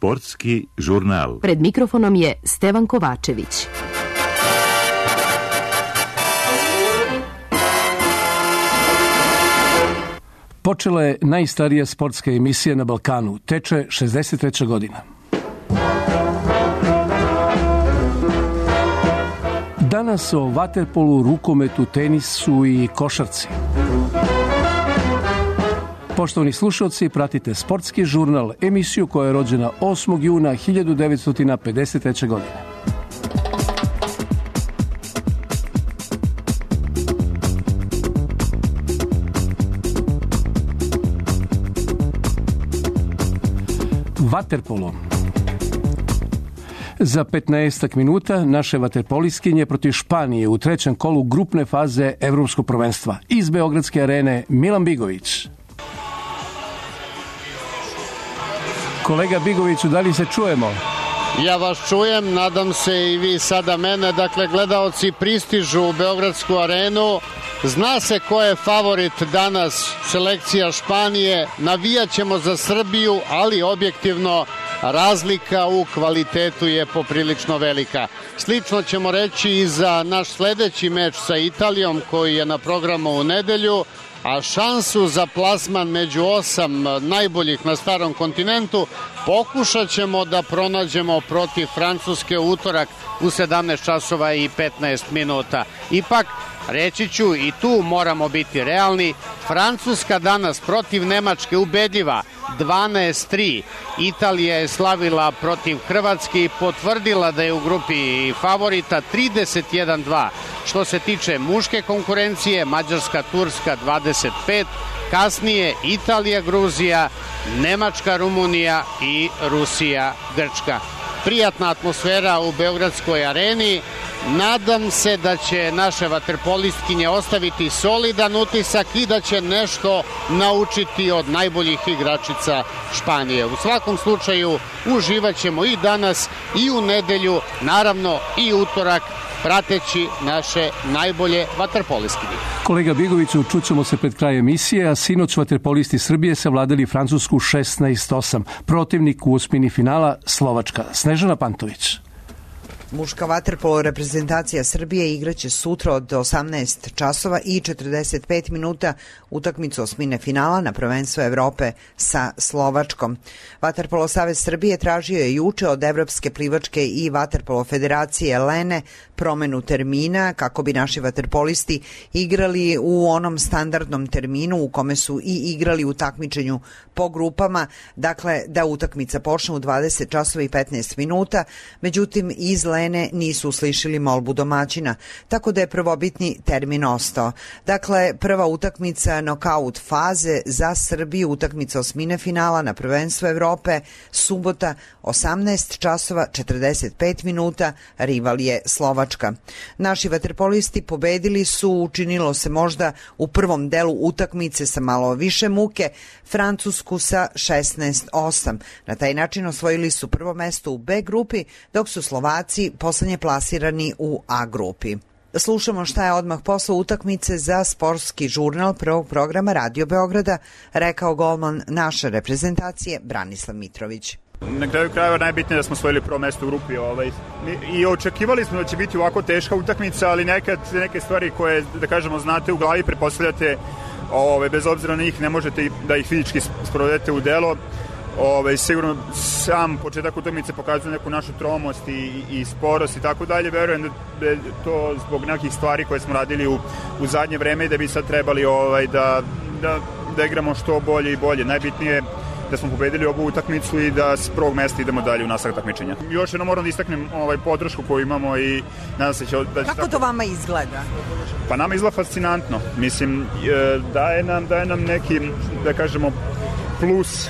Sportski žurnal. Pred mikrofonom je Stevan Kovačević. Počela je najstarija sportska emisija na Balkanu. Teče 63. godina. Danas o vaterpolu, rukometu, tenisu i košarci. Poštovani slušalci, pratite Sportski žurnal, emisiju koja je rođena 8. juna 1953. godine. Vaterpolo. Za 15 minuta naše vaterpoliskinje protiv Španije u trećem kolu grupne faze Evropskog prvenstva. Iz Beogradske arene Milan Bigović. Kolega Bigoviću, da li se čujemo? Ja vas čujem, nadam se i vi sada mene. Dakle, gledaoci pristižu u Beogradsku arenu. Zna se ko je favorit danas, selekcija Španije. Navijat ćemo za Srbiju, ali objektivno razlika u kvalitetu je poprilično velika. Slično ćemo reći i za naš sledeći meč sa Italijom koji je na programu u nedelju, a šansu za plasman među 8 najboljih na starom kontinentu pokušat ćemo da pronađemo protiv Francuske u utorak u 17 časova i 15 minuta. Ipak, reći ću i tu moramo biti realni, Francuska danas protiv Nemačke ubedljiva 12-3. Italija je slavila protiv Hrvatske i potvrdila da je u grupi favorita 31-2. Što se tiče muške konkurencije, Mađarska, Turska 25, kasnije Italija, Gruzija, Nemačka, Rumunija i Rusija, Grčka. Prijatna atmosfera u Beogradskoj areni. Nadam se da će naše vaterpolistkinje ostaviti solidan utisak i da će nešto naučiti od najboljih igračica Španije. U svakom slučaju uživat ćemo i danas i u nedelju, naravno i utorak, prateći naše najbolje vaterpolistkinje. Kolega Bigoviću, čućemo se pred kraj emisije, a sinoć vaterpolisti Srbije savladali Francusku 16-8. Protivnik u osmini finala Slovačka. Snežana Pantović. Muška vaterpolo reprezentacija Srbije igraće sutra od 18 časova i 45 minuta utakmicu osmine finala na prvenstvo Evrope sa Slovačkom. Vaterpolo savez Srbije tražio je juče od Evropske plivačke i vaterpolo federacije Lene promenu termina kako bi naši vaterpolisti igrali u onom standardnom terminu u kome su i igrali u takmičenju po grupama, dakle da utakmica počne u 20 časova i 15 minuta, međutim iz Lene nisu uslišili molbu domaćina, tako da je prvobitni termin ostao. Dakle, prva utakmica nokaut faze za Srbiju, utakmica osmine finala na prvenstvo Evrope, subota 18 časova 45 minuta, rival je Slovačka. Naši vaterpolisti pobedili su, učinilo se možda u prvom delu utakmice sa malo više muke, Francusku sa 16-8. Na taj način osvojili su prvo mesto u B grupi, dok su Slovaci poslednje plasirani u A grupi. Slušamo šta je odmah posle utakmice za Sportski žurnal prvog programa Radio Beograda rekao golman naše reprezentacije Branislav Mitrović. Na kraju krajeva najbitnije da smo osvojili prvo mesto u grupi i očekivali smo da će biti ovako teška utakmica, ali nekad neke stvari koje, da kažemo, znate u glavi, pretpostavljate, bez obzira na njih ne možete da ih fizički sprovedete u delo. Sigurno sam početak utakmice pokazuje neku našu tromost i sporost i tako dalje. Verujem da je to zbog nekih stvari koje smo radili u zadnje vreme i da bi sad trebali da igramo što bolje i bolje. Najbitnije je da smo pobedili ovu utakmicu i da s prvog mesta idemo dalje u nastavak takmičenja. Još jednom moram da istaknem podršku koju imamo i nadam se da će Kako to vama izgleda? Pa nama izgleda fascinantno. Mislim, daje nam neki, da kažemo, plus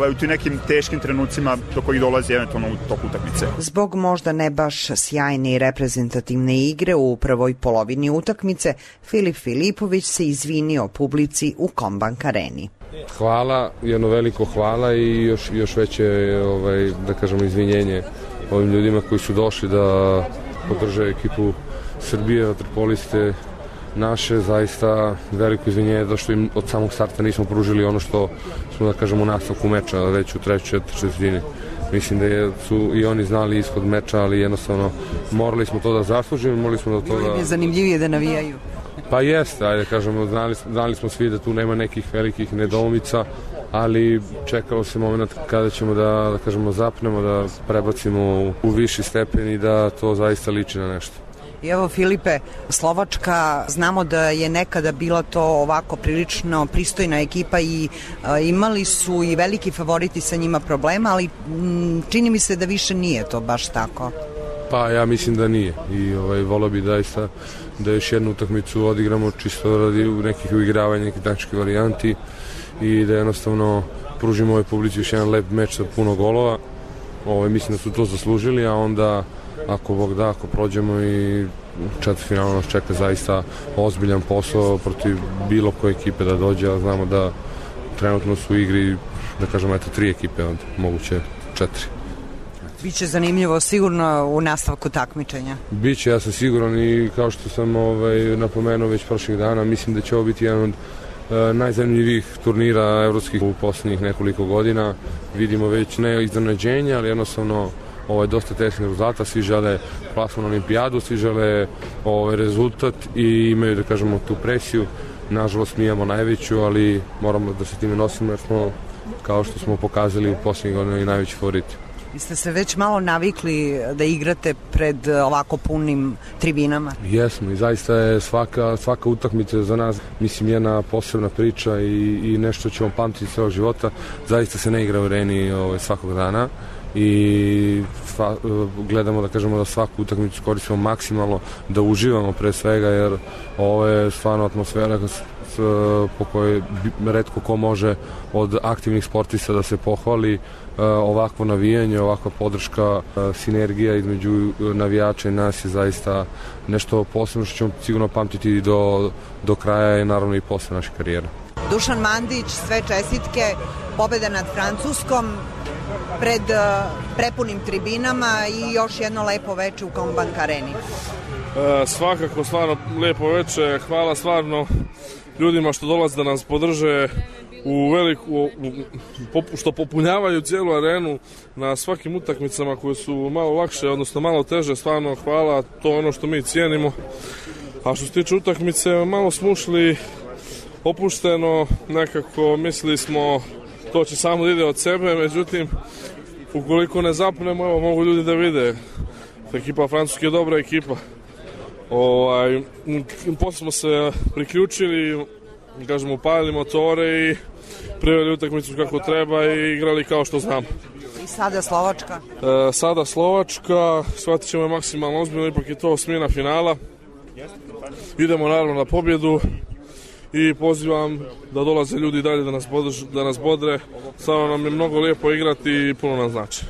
u tim nekim teškim trenucima do kojih dolazi eventualno u toku utakmice. Zbog možda ne baš sjajne i reprezentativne igre u prvoj polovini utakmice, Filip Filipović se izvinio publici u Kombank areni. Hvala, jedno veliko hvala i još veće, da kažemo, izvinjenje ovim ljudima koji su došli da podrže ekipu Srbije, vaterpoliste naše, zaista veliko izvinjenje da što im od samog starta nismo pružili ono što smo, da kažemo, u nastavku meča, već u trećoj četvrtini. mislim da su i oni znali ishod meča, ali jednostavno morali smo to da zaslužimo, morali smo da to da... Bilo je zanimljivije da navijaju. Pa jeste, ajde kažemo, znali smo svi da tu nema nekih velikih nedoumica, ali čekalo se moment kada ćemo da kažemo zapnemo, da prebacimo u viši stepen i da to zaista liči na nešto. I evo Filipe, Slovačka, znamo da je nekada bila to ovako prilično pristojna ekipa i imali su i veliki favoriti sa njima problema, ali čini mi se da više nije to baš tako. Pa ja mislim da nije i volio bi zaista da još jednu utakmicu odigramo čisto radi nekih uigravanja, nekih taktičkih varijanti i da jednostavno pružimo ovoj publici još jedan lep meč sa puno golova. Mislim da su to zaslužili, a onda ako Bog da, ako prođemo i četvrtfinalno nas čeka zaista ozbiljan posao protiv bilo koje ekipe da dođe, a znamo da trenutno su u igri, da kažemo, 3 ekipe od moguće 4. Biće zanimljivo sigurno u nastavku takmičenja. Biće, ja sam siguran i kao što sam napomenuo već prošlih dana, mislim da će ovo biti jedan od najzanimljivijih turnira evropskih u poslednjih nekoliko godina. Vidimo već ne iznenađenja, ali jednostavno dosta teških rezultata, svi žele plasman na olimpijadu, svi žele rezultat i imaju, da kažemo, tu presiju. Nažalost, mi imamo najveću, ali moramo da se time nosimo jer smo, kao što smo pokazali u posljednjih godina, i najveći favoriti. Vi ste se već malo navikli da igrate pred ovako punim tribinama? Jesmo i zaista je svaka utakmica za nas, mislim, jedna posebna priča i nešto ćemo pamtiti celog života. Zaista se ne igra u areni svakog dana i gledamo, da kažemo, da svaku utakmicu koristimo maksimalno, da uživamo pre svega, jer ovo je stvarno atmosfera po kojoj retko ko može od aktivnih sportista da se pohvali. Ovakvo navijanje, ovakva podrška, sinergija između navijača i nas je zaista nešto posebno što ćemo sigurno pamtiti do kraja i naravno i posle naše karijere. Dušan Mandić, sve čestitke, pobeda nad Francuskom pred prepunim tribinama i još jedno lepo veče u Combank areni. Svakako, stvarno lepo veče, hvala stvarno ljudima što dolaze da nas podrže što popunjavaju cijelu arenu na svakim utakmicama koje su malo lakše, odnosno malo teže, stvarno hvala, to je ono što mi cijenimo. A što se tiče utakmice, malo smo ušli opušteno, nekako mislili smo to će samo da ide od sebe, međutim ukoliko ne zapnemo, evo, mogu ljudi da vide, ekipa Francuske je dobra ekipa. Posle smo se priključili, kažemo, upalili motore i priveli utakmicu kako treba i igrali kao što znamo. I sada Slovačka? Sada Slovačka, shvatit ćemo je maksimalno ozbiljno, ipak je to osmina finala. Idemo naravno na pobjedu i pozivam da dolaze ljudi dalje da nas bodre. Stvarno nam je mnogo lijepo igrati i puno nam znači.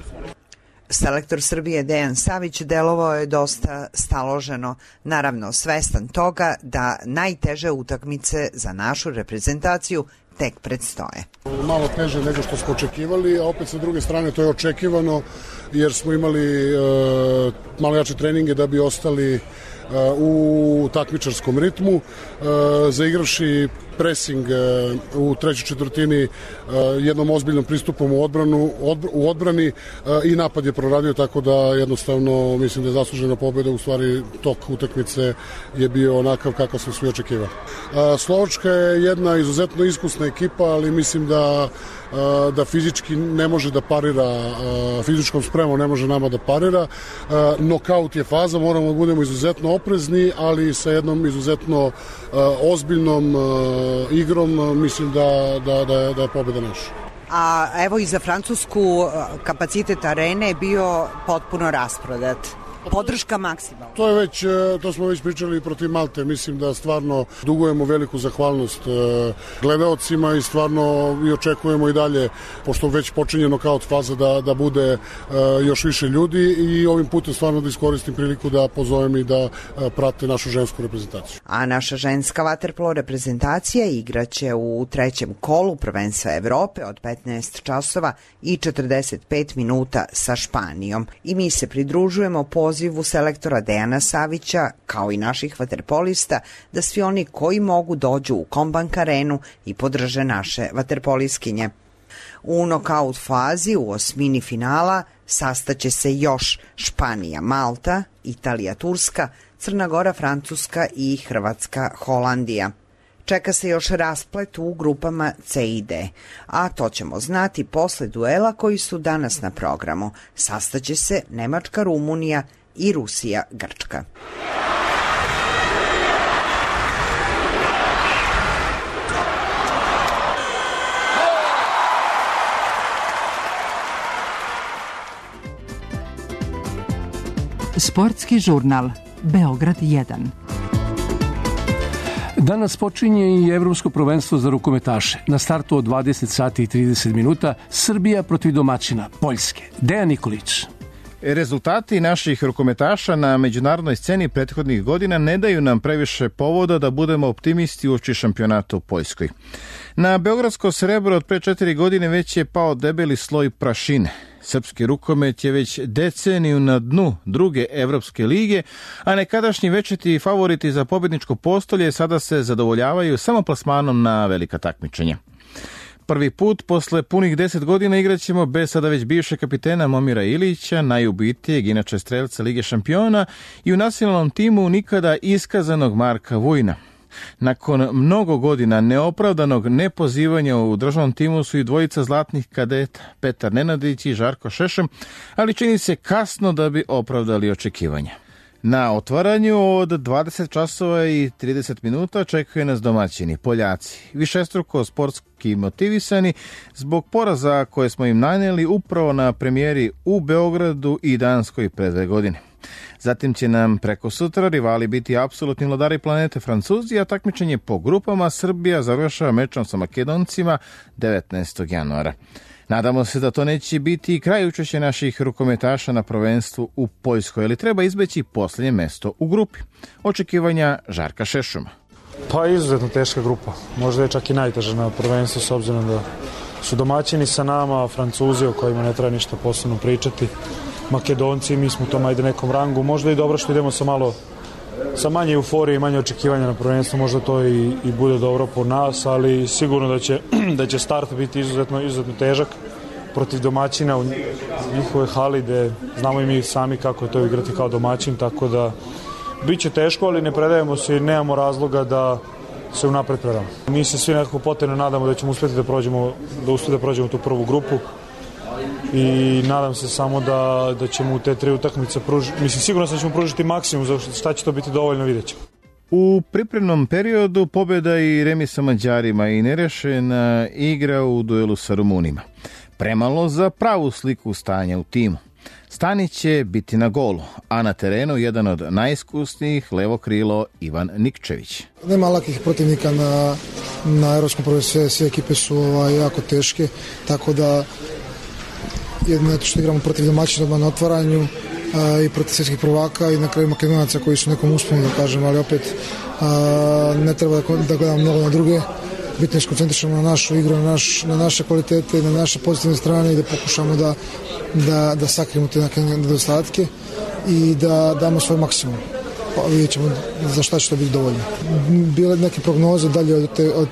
Selektor Srbije Dejan Savić delovao je dosta staloženo, naravno svestan toga da najteže utakmice za našu reprezentaciju tek predstoje. Malo teže nego što smo očekivali, a opet sa druge strane to je očekivano jer smo imali malo jače treninge da bi ostali u takmičarskom ritmu, zaigravši presing u trećoj četvrtini jednom ozbiljnom pristupom u odbrani i napad je proradio, tako da jednostavno mislim da je zaslužena pobjeda, u stvari tok utakmice je bio onakav kakav smo svi očekivali. Slovačka je jedna izuzetno iskusna ekipa, ali mislim da fizički ne može da parira, fizičkom spremom ne može nama da parira. Nokaut je faza, moramo da budemo izuzetno oprezni, ali sa jednom izuzetno ozbiljnom igrom mislim da je pobjeda naša. A evo i za Francusku kapacitet arene je bio potpuno rasprodat. Podrška maksimalna. To smo već pričali protiv Malte. Mislim da stvarno dugujemo veliku zahvalnost gledaocima i stvarno i očekujemo i dalje, pošto već počinje nokaut faza, da bude još više ljudi i ovim putem stvarno da iskoristim priliku da pozovem i da prate našu žensku reprezentaciju. A naša ženska vaterpolo reprezentacija igraće u trećem kolu prvenstva Evrope od 15 časova i 45 minuta sa Španijom. I mi se pridružujemo pozivu selektora Dejana Savića, kao i naših vaterpolista, da svi oni koji mogu dođu u Combank arenu i podrže naše vaterpoliskinje. U nokaut fazi u osmini finala sastaće se još Španija, Malta, Italija, Turska, Crna Gora, Francuska i Hrvatska, Holandija. Čeka se još rasplet u grupama C i D, a to ćemo znati posle duela koji su danas na programu. Sastaće se Nemačka, Rumunija i Rusija, Grčka. Sportski žurnal Beograd 1. Danas počinje i Evropsko prvenstvo za rukometaše. Na startu od 20 sati i 30 minuta Srbija protiv domaćina Poljske. Dejan Nikolić. Rezultati naših rukometaša na međunarodnoj sceni prethodnih godina ne daju nam previše povoda da budemo optimisti uoči šampionata u Poljskoj. Na beogradsko srebro od pre 4 godine već je pao debeli sloj prašine. Srpski rukomet je već deceniju na dnu druge evropske lige, a nekadašnji večiti favoriti za pobjedničko postolje sada se zadovoljavaju samo plasmanom na velika takmičenja. Prvi put posle punih 10 godina igraćemo bez sada već bivšeg kapitena Momira Ilića, najubitijeg inače strelca Lige šampiona, i u nacionalnom timu nikada iskazanog Marka Vujna. Nakon mnogo godina neopravdanog nepozivanja u državnom timu su i dvojica zlatnih kadeta, Petar Nenadić i Žarko Šešem, ali čini se kasno da bi opravdali očekivanja. Na otvaranju od 20 časova i 30 minuta čekaju nas domaćini, Poljaci, višestruko sportski motivisani zbog poraza koje smo im nanijeli upravo na premijeri u Beogradu i Danskoj pre 2 godine. Zatim će nam preko sutra rivali biti apsolutni vladari planete Francuzi, a takmičenje po grupama Srbija završava mečom sa Makedoncima 19. januara. Nadamo se da to neće biti i kraj učešća naših rukometaša na prvenstvu u Poljskoj, ali treba izbeći posljednje mesto u grupi. Očekivanja Žarka Šešuma. Pa izuzetno teška grupa, možda je čak i najteža na prvenstvu s obzirom da su domaćini sa nama, Francuzi o kojima ne treba ništa posebno pričati, Makedonci, mi smo u tom ajde nekom rangu, možda i dobro što idemo sa manje euforije i manje očekivanja na prvenstvu, možda to i bude dobro po nas, ali sigurno da će start biti izuzetno težak protiv domaćina u njihovoj hali, gde znamo i mi sami kako je to igrati kao domaćin, tako da bit će teško, ali ne predajemo se i nemamo razloga da se unapred predamo. Mi se svi nekako potajno nadamo da ćemo uspjeti da prođemo tu prvu grupu i nadam se samo da ćemo u te 3 utakmice sigurno da ćemo pružiti maksimum, za šta će to biti dovoljno, vidjet ćemo. U pripremnom periodu pobjeda i remis sa Mađarima i nerešena igra u duelu sa Rumunima. Premalo za pravu sliku stanja u timu. Stanić će biti na golu, a na terenu jedan od najiskusnijih levo krilo Ivan Nikčević. Nema lakih protivnika na evropskom prvenstvu, sve ekipe su jako teške, tako da jedno što igramo protiv domaćina na otvaranju i protiv svjetskih prvaka i na kraju Makedonaca koji su nekom usponu, da kažem, ali opet ne treba da gledamo mnogo na druge. Bitno je skoncentrišamo na našu igru, na naše kvalitete, na naše pozitivne strane i da pokušamo da sakrijemo te neke nedostatke i da damo svoj maksimum. Vidjet ćemo za šta će to biti dovoljno. Bile neke prognoze dalje od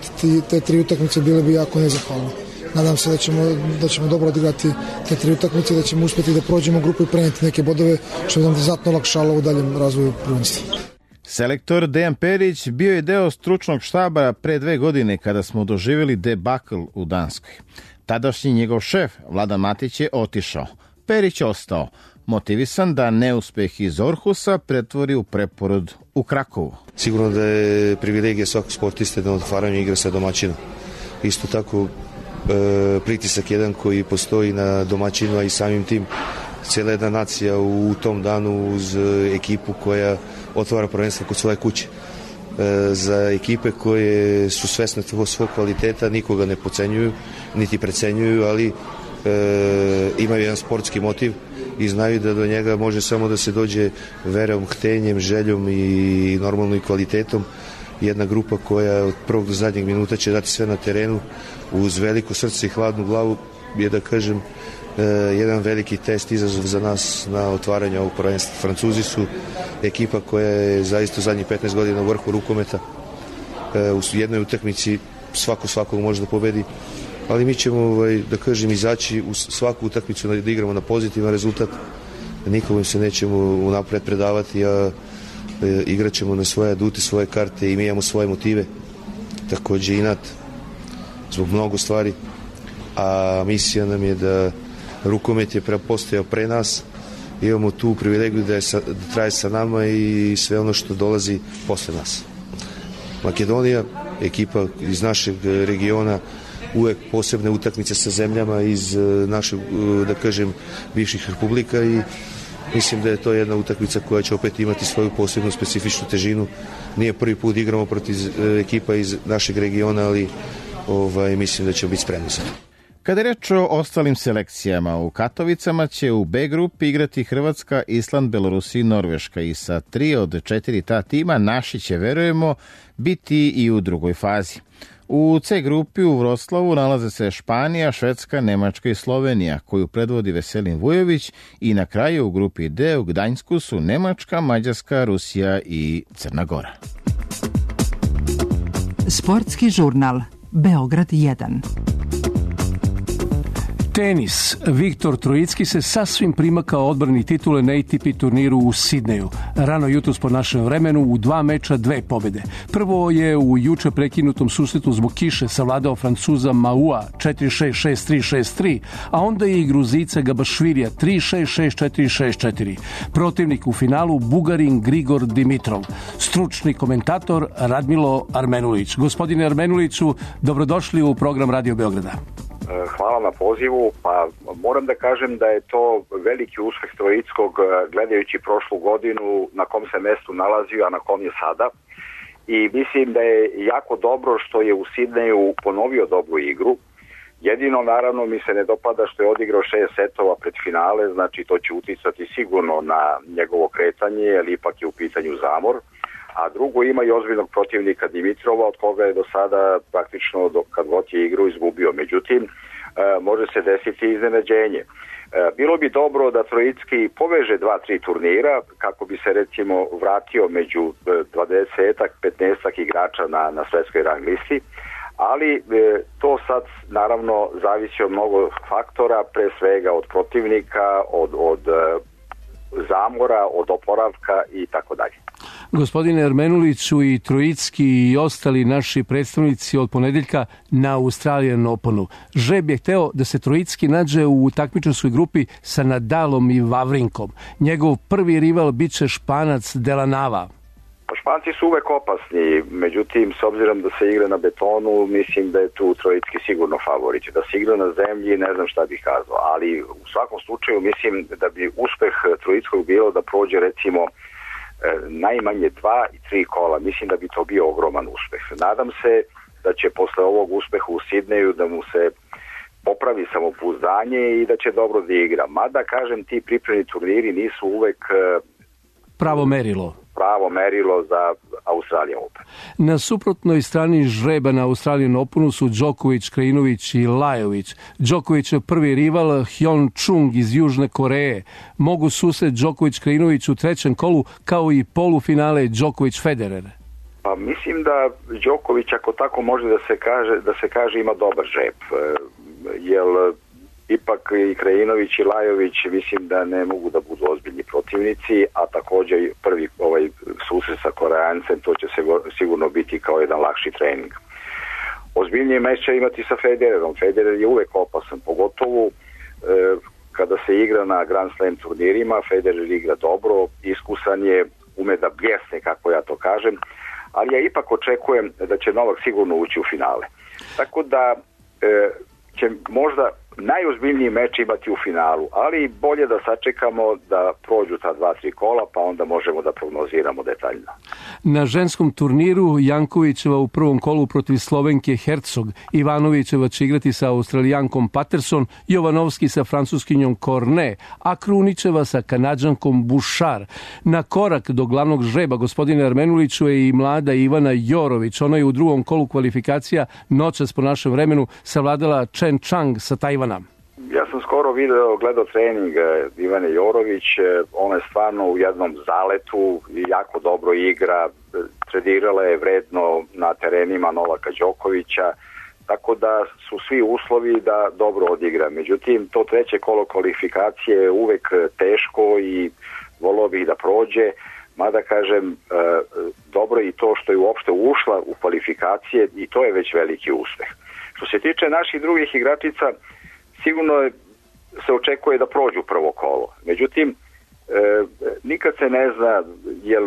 te 3 utakmice bile bi jako nezahvalne. Nadam se da ćemo dobro odigrati te 3 utakmice, da ćemo uspjeti da prođemo grupu i prenijeti neke bodove, što bi nam znatno olakšalo u daljem razvoju prvenstva. Selektor Dejan Perić bio je deo stručnog štaba pre 2 godine kada smo doživjeli debakl u Danskoj. Tadašnji njegov šef Vladan Matić je otišao. Perić ostao, motivisan da neuspeh iz Orhusa pretvori u preporod u Krakovu. Sigurno da je privilegija svakog sportiste da na otvaranju igra sa domaćinom. Isto tako pritisak jedan koji postoji na domaćinu, a i samim tim cijela jedna nacija u tom danu uz ekipu koja otvara prvenstvo kod svoje kuće. Za ekipe koje su svesne svog kvaliteta nikoga ne podcenjuju, niti precenjuju, ali imaju jedan sportski motiv i znaju da do njega može samo da se dođe verom, htenjem, željom i normalno i kvalitetom. Jedna grupa koja od prvog do zadnjeg minuta će dati sve na terenu uz veliko srce i hladnu glavu je, da kažem, jedan veliki test, izazov za nas na otvaranju ovog prvenstva. Francuzi su ekipa koja je zaista zadnjih 15 godina u vrhu rukometa. U jednoj utakmici svakog može da pobedi ali mi ćemo, da kažem, izaći u svaku utakmicu da igramo na pozitivan rezultat, nikom se nećemo unapred predavati, a igrat ćemo na svoje adute, svoje karte i mi imamo svoje motive, takođe inat zbog mnogo stvari, a misija nam je da rukomet je postojao pre nas, imamo tu privilegiju da traje sa nama i sve ono što dolazi posle nas. Makedonija, ekipa iz našeg regiona, uvek posebne utakmice sa zemljama iz našeg, da kažem, bivših republika i mislim da je to jedna utakmica koja će opet imati svoju posebnu specifičnu težinu. Nije prvi put igramo protiv ekipa iz našeg regiona, ali mislim da ćemo biti spremni za to. Kada je reč o ostalim selekcijama, u Katovicama će u B grupi igrati Hrvatska, Island, Belorusija i Norveška i sa 3 od 4 ta tima naši će, verujemo, biti i u drugoj fazi. U C grupi u Vroclavu nalaze se Španija, Švedska, Nemačka i Slovenija, koju predvodi Veselin Vujović, i na kraju u grupi D u Gdańsku su Nemačka, Mađarska, Rusija i Crna Gora. Sportski žurnal Beograd 1. Tenis. Viktor Trojicki se sasvim primakao odbrani titule na ATP turniru u Sidneju. Rano jutros po našem vremenu u 2 meča 2 pobjede. Prvo je u juče prekinutom susretu zbog kiše savladao Francuza Maua 4-6, 6-3, 6-3, a onda i Gruzica Gabašvirija 3-6, 6-4, 6-4. Protivnik u finalu Bugarin Grigor Dimitrov. Stručni komentator Radmilo Armenulić. Gospodine Armenuliću, dobrodošli u program Radio Beograda. Hvala na pozivu. Pa moram da kažem da je to veliki uspeh Trojickog gledajući prošlu godinu na kom se mestu nalazio, a na kom je sada. I mislim da je jako dobro što je u Sidneju ponovio dobru igru. Jedino, naravno, mi se ne dopada što je odigrao 6 setova pred finale, znači to će uticati sigurno na njegovo kretanje, jer ipak je u pitanju zamor. A drugo, ima i ozbiljnog protivnika Dimitrova, od koga je do sada praktično kad god je igru izgubio. Međutim, može se desiti iznenađenje. Bilo bi dobro da Trojicki poveže 2-3 turnira kako bi se recimo vratio među 20-ak, 15-ak igrača na svetskoj rang listi, ali to sad naravno zavisi od mnogo faktora, pre svega od protivnika, od zamora, od oporavka i tako dalje. Gospodine Armenuliću, i Trojicki i ostali naši predstavnici od ponedeljka na Australian Openu. Žreb je hteo da se Trojicki nađe u takmičarskoj grupi sa Nadalom i Vavrinkom. Njegov prvi rival biće Španac Delanava. Španci su uvek opasni, međutim, s obzirom da se igra na betonu, mislim da je tu Trojicki sigurno favorit. Da se igra na zemlji, ne znam šta bih kazao, ali u svakom slučaju mislim da bi uspeh Trojickog bilo da prođe recimo najmanje 2 i 3 kola. Mislim da bi to bio ogroman uspeh. Nadam se da će posle ovog uspeha u Sidneju da mu se popravi samopouzdanje i da će dobro da igra. Mada, kažem, ti pripremni turniri nisu uvek pravo merilo za Australian Open. Na suprotnoj strani žreba na Australian Openu su Đoković, Krajinović i Lajović. Đokovićev prvi rival Hyun Chung iz Južne Koreje. Mogu susret Đoković-Krajinović u 3. kolu, kao i polufinale Đoković-Federer. Pa mislim da Đoković, ako tako može da se kaže, ima dobar žreb. Jer ipak i Krajinović i Lajović mislim da ne mogu da budu ozbiljni protivnici, a također prvi susret sa Koreancem, to će sigurno biti kao jedan lakši trening. Ozbiljnije meč će imati sa Federerom. Federer je uvek opasan, pogotovo kada se igra na Grand Slam turnirima. Federer igra dobro, iskusan je, ume da bljesne, kako ja to kažem, ali ja ipak očekujem da će Novak sigurno ući u finale. Tako da će možda najozbiljniji meč imati u finalu, ali bolje da sačekamo da prođu ta 2-3 kola, pa onda možemo da prognoziramo detaljno. Na ženskom turniru Jankovićeva u prvom kolu protiv Slovenke Hercog, Ivanovićeva će igrati sa Australijankom Patterson, Jovanovski sa Francuskinjom Cornet, a Krunićeva sa Kanadžankom Bouchard. Na korak do glavnog žreba, gospodine Armenuliću, je i mlada Ivana Jorović. Ona je u drugom kolu kvalifikacija noćas po našem vremenu savladala Chen Chang sa Tajvana. Ja sam skoro gledao trening Ivane Jorović, ona je stvarno u jednom zaletu i jako dobro igra, tredirala je vredno na terenima Novaka Đokovića, tako da su svi uslovi da dobro odigra. Međutim, to treće kolo kvalifikacije je uvek teško i volio bih da prođe, mada kažem, dobro i to što je uopšte ušla u kvalifikacije i to je već veliki uspeh. Što se tiče naših drugih igračica, sigurno se očekuje da prođu prvo kolo. Međutim, nikad se ne zna, jer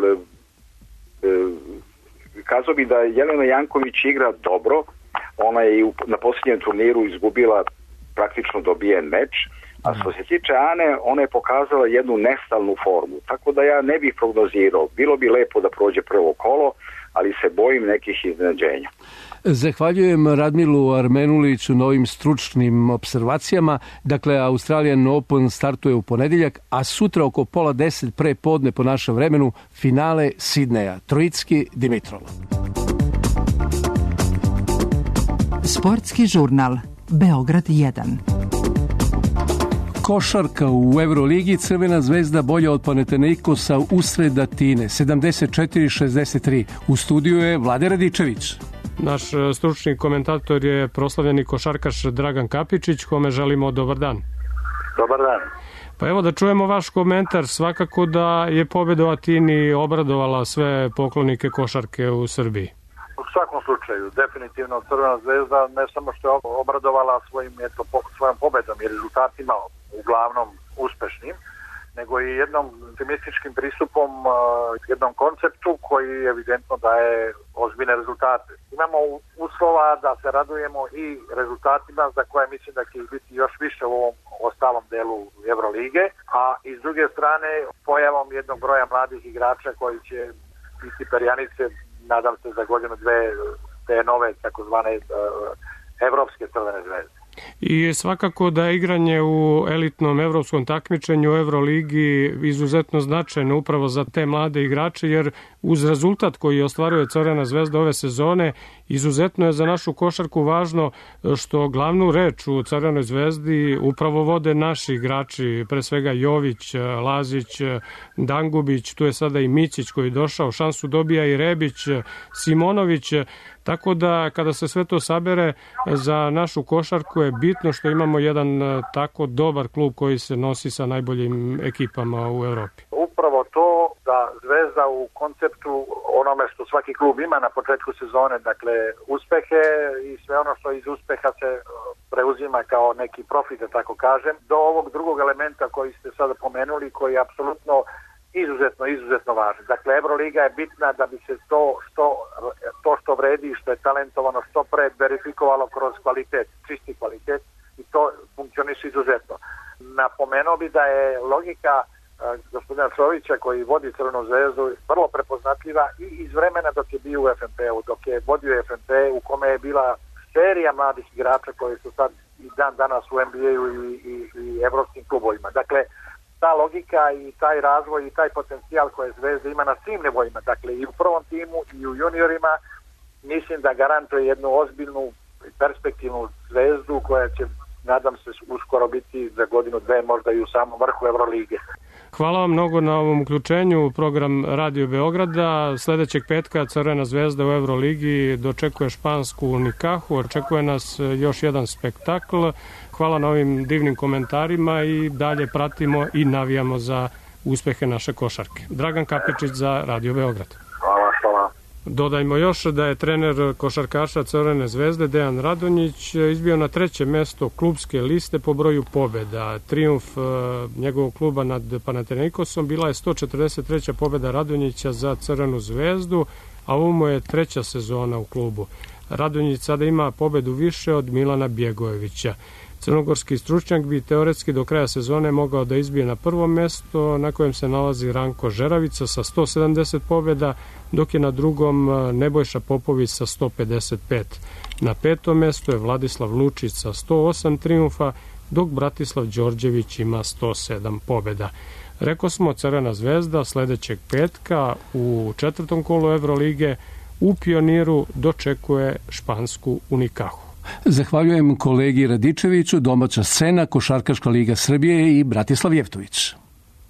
kazao bi da Jelena Janković igra dobro, ona je na posljednjem turniru izgubila praktično dobijen meč, a što se tiče Ane, ona je pokazala jednu nestalnu formu, tako da ja ne bih prognozirao. Bilo bi lepo da prođe prvo kolo, ali se bojim nekih iznenađenja. Zahvaljujem Radmilu Armenuliću na ovim stručnim observacijama. Dakle, Australian Open startuje u ponedeljak, a sutra oko 9:30 pre podne po našem vremenu finale Sidneja. Trojicki Dimitrov. Sportski žurnal Beograd 1. Košarka u Euroligi, Crvena zvezda bolja od Panathinaikosa usred Atine, 74-63. U studiju je Vlade Radičević. Naš stručni komentator je proslavljeni košarkaš Dragan Kapičić, kome želimo dobar dan. Dobar dan. Pa evo da čujemo vaš komentar. Svakako da je pobjeda u Atini obradovala sve poklonike košarke u Srbiji. U svakom slučaju, definitivno Crvena zvezda ne samo što je obradovala svojom pobedom i rezultatima uglavnom uspešnim, nego i jednom optimističkim pristupom, jednom konceptu koji evidentno daje ozbiljne rezultate. Imamo uslova da se radujemo i rezultatima za koje mislim da će ih biti još više u ovom ostalom delu Evrolige, a i s druge strane pojavom jednog broja mladih igrača koji će biti perjanice, nadam se za godinu dve, te nove takozvane evropske Crvene zvezde. I svakako da je igranje u elitnom evropskom takmičenju u Euroligi izuzetno značajno upravo za te mlade igrače, jer uz rezultat koji ostvaruje Crvena zvezda ove sezone, izuzetno je za našu košarku važno što glavnu reč u Crvenoj zvezdi upravo vode naši igrači, pre svega Jović, Lazić, Dangubić, tu je sada i Micić koji je došao, šansu dobija i Rebić, Simonović, tako da kada se sve to sabere za našu košarku je bitno što imamo jedan tako dobar klub koji se nosi sa najboljim ekipama u Evropi. Upravo to da Zvezda u konceptu onome što svaki klub ima na početku sezone, dakle uspehe i sve ono što iz uspeha se preuzima kao neki profit, da tako kažem, do ovog drugog elementa koji ste sada pomenuli, koji je apsolutno izuzetno važno. Dakle, Euroliga je bitna da bi se to što vredi, što je talentovano, što pre verifikovalo kroz kvalitet, čisti kvalitet, i to funkcioniše izuzetno. Napomenuo bi da je logika gospodina Čovića koji vodi Crvenu zvezdu vrlo prepoznatljiva i iz vremena dok je bio u FNP-u, dok je vodio FNP u kome je bila serija mladih igrača koji su sad i dan danas u NBA-u i evropskim klubovima. Dakle, ta logika i taj razvoj i taj potencijal koje Zvezda ima na svim nivoima, dakle i u prvom timu i u juniorima, mislim da garantuje jednu ozbiljnu perspektivnu Zvezdu koja će, nadam se, uskoro biti za godinu dve možda i u samom vrhu Evrolige. Hvala vam mnogo na ovom uključenju u program Radio Beograda. Sledećeg petka Crvena zvezda u Evroligi dočekuje špansku Unikahu, očekuje nas još jedan spektakl. Hvala na ovim divnim komentarima i dalje pratimo i navijamo za uspehe naše košarke. Dragan Kapičić za Radio Beograd. Hvala. Dodajmo još da je trener košarkaša Crvene zvezde Dejan Radonjić izbio na 3. mesto klubske liste po broju pobjeda. Trijumf njegovog kluba nad Panathinaikosom bila je 143. pobjeda Radonjića za Crvenu zvezdu, a ovo mu je 3. sezona u klubu. Radonjić sada ima pobjedu više od Milana Bjegojevića. Crnogorski stručnjak bi teoretski do kraja sezone mogao da izbije na 1. mesto, na kojem se nalazi Ranko Žeravica sa 170 pobjeda, dok je na 2. Nebojša Popović sa 155. Na 5. mesto je Vladislav Lučić sa 108 trijumfa, dok Bratislav Đorđević ima 107 pobjeda. Rekao smo, Crvena zvezda sledećeg petka u 4. kolu Evrolige u Pioniru dočekuje špansku Unikahu. Zahvaljujem kolegi Radičeviću, domaća scena, Košarkaška liga Srbije i Bratislav Jevtović.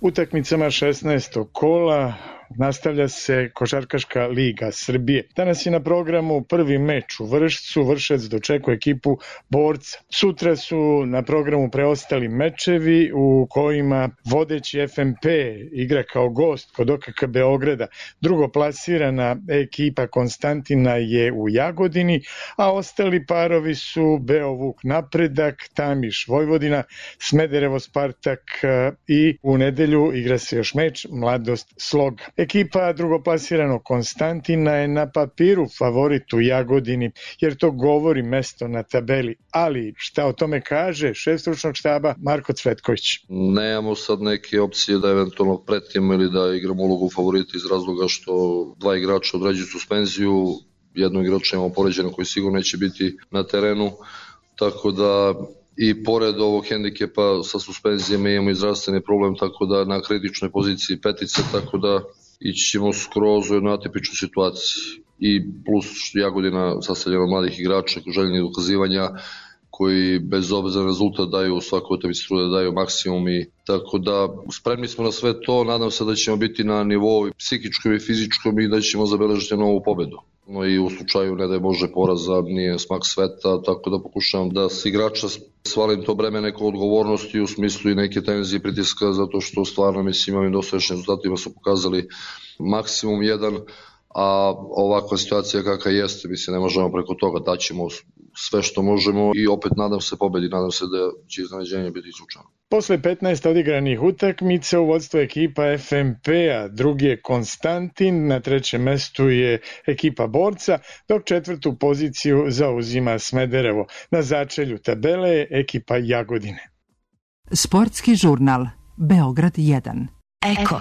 Utakmicama 16. kola nastavlja se Košarkaška liga Srbije. Danas je na programu prvi meč u Vršcu. Vršac dočekuje ekipu Borca. Sutra su na programu preostali mečevi u kojima vodeći FNP igra kao gost kod OKK Beograda. Drugoplasirana ekipa Konstantina je u Jagodini, a ostali parovi su Beovuk Napredak, Tamiš Vojvodina, Smederevo Spartak i u nedelju igra se još meč Mladost Sloga. Ekipa drugoplasiranog Konstantina je na papiru favorit u Jagodini, jer to govori mesto na tabeli. Ali šta o tome kaže šef stručnog štaba Marko Cvetković? Nemamo sad neke opcije da eventualno pretimo ili da igramo ulogu favorita iz razloga što dva igrača određuju suspenziju, jednog igrača imamo poređeno koji sigurno neće biti na terenu, tako da i pored ovog hendikepa sa suspenzijama imamo i zdravstveni problem, tako da na kritičnoj poziciji petice, tako da ići ćemo skroz u jednu atipičnu situaciju. I plus Jagodina sastavljena od mladih igrača, željnih dokazivanja, koji bez obzira na rezultat daju u svakoj utakmici trude, daju maksimum i tako da spremni smo na sve to, nadam se da ćemo biti na nivou psihičkom i fizičkom i da ćemo zabeležiti novu pobedu. No i u slučaju ne da je Bože poraza, nije smak sveta, tako da pokušavam da s igrača svalim to breme neko odgovornosti u smislu i neke tenzije i pritiska, zato što stvarno mislim ovim dosadašnjim rezultatima su pokazali maksimum jedan, a ovakva situacija kakva jeste, mislim ne možemo preko toga, daćemo sve što možemo i opet nadam se pobedi, nadam se da će iznenađenje biti slučajno. Posle 15 odigranih utakmica u vodstvu ekipa FNP-a, drugi je Konstantin, na trećem mestu je ekipa Borca, dok četvrtu poziciju zauzima Smederevo. Na začelju tabele je ekipa Jagodine. Sportski žurnal Beograd 1. Eko.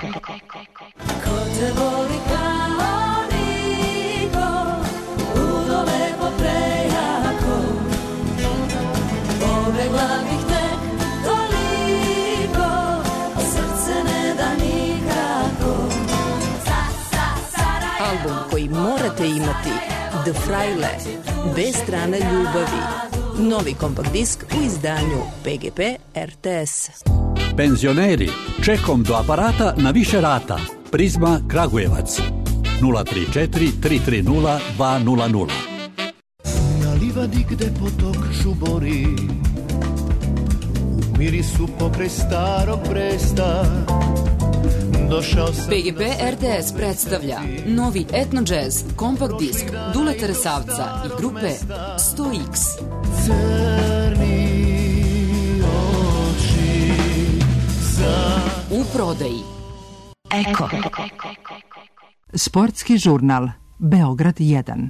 Album koji morate imati, The Fraile, bez strane ljubavi. Novi kompakt disk u izdanju PGP RTS. Penzioneri, čekom do aparata na više rata. Prizma Kragujevac 034 330 200. Na livadi gde potok žubori, u mirisu pokraj starog Bresta. PGP RTS predstavlja novi etno jazz kompakt disk Duleta Resavca i grupe 100X. U prodaji Eko. Sportski žurnal Beograd 1.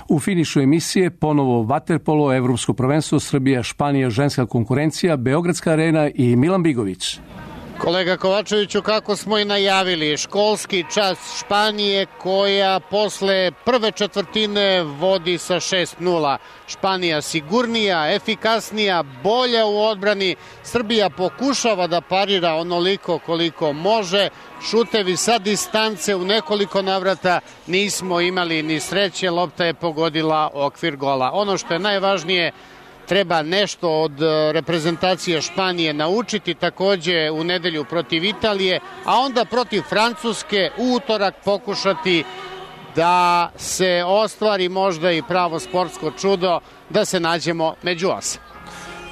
U finišu emisije ponovo vaterpolo, Evropsko prvenstvo, Srbija, Španija, ženska konkurencija, Beogradska arena i Milan Bigović. Kolega Kovačeviću, kako smo i najavili, školski čas Španije koja posle prve četvrtine vodi sa 6-0. Španija sigurnija, efikasnija, bolja u odbrani. Srbija pokušava da parira onoliko koliko može. Šutevi sa distance u nekoliko navrata, nismo imali ni sreće, lopta je pogodila okvir gola. Ono što je najvažnije, treba nešto od reprezentacije Španije naučiti, takođe u nedelju protiv Italije, a onda protiv Francuske u utorak pokušati da se ostvari možda i pravo sportsko čudo, da se nađemo među 8.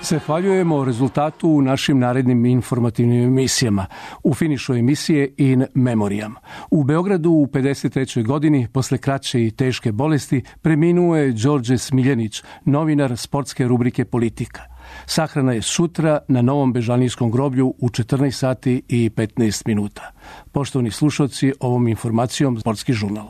Zahvaljujemo rezultatu u našim narednim informativnim emisijama. U finišu emisije In Memoriam. U Beogradu u 53. godini, posle kraće i teške bolesti, preminuo je Đorđe Smiljanić, novinar sportske rubrike Politika. Sahrana je sutra na Novom Bežanijskom groblju u 14 sati i 15 minuta. Poštovani slušalci, ovom informacijom Sportski žurnal.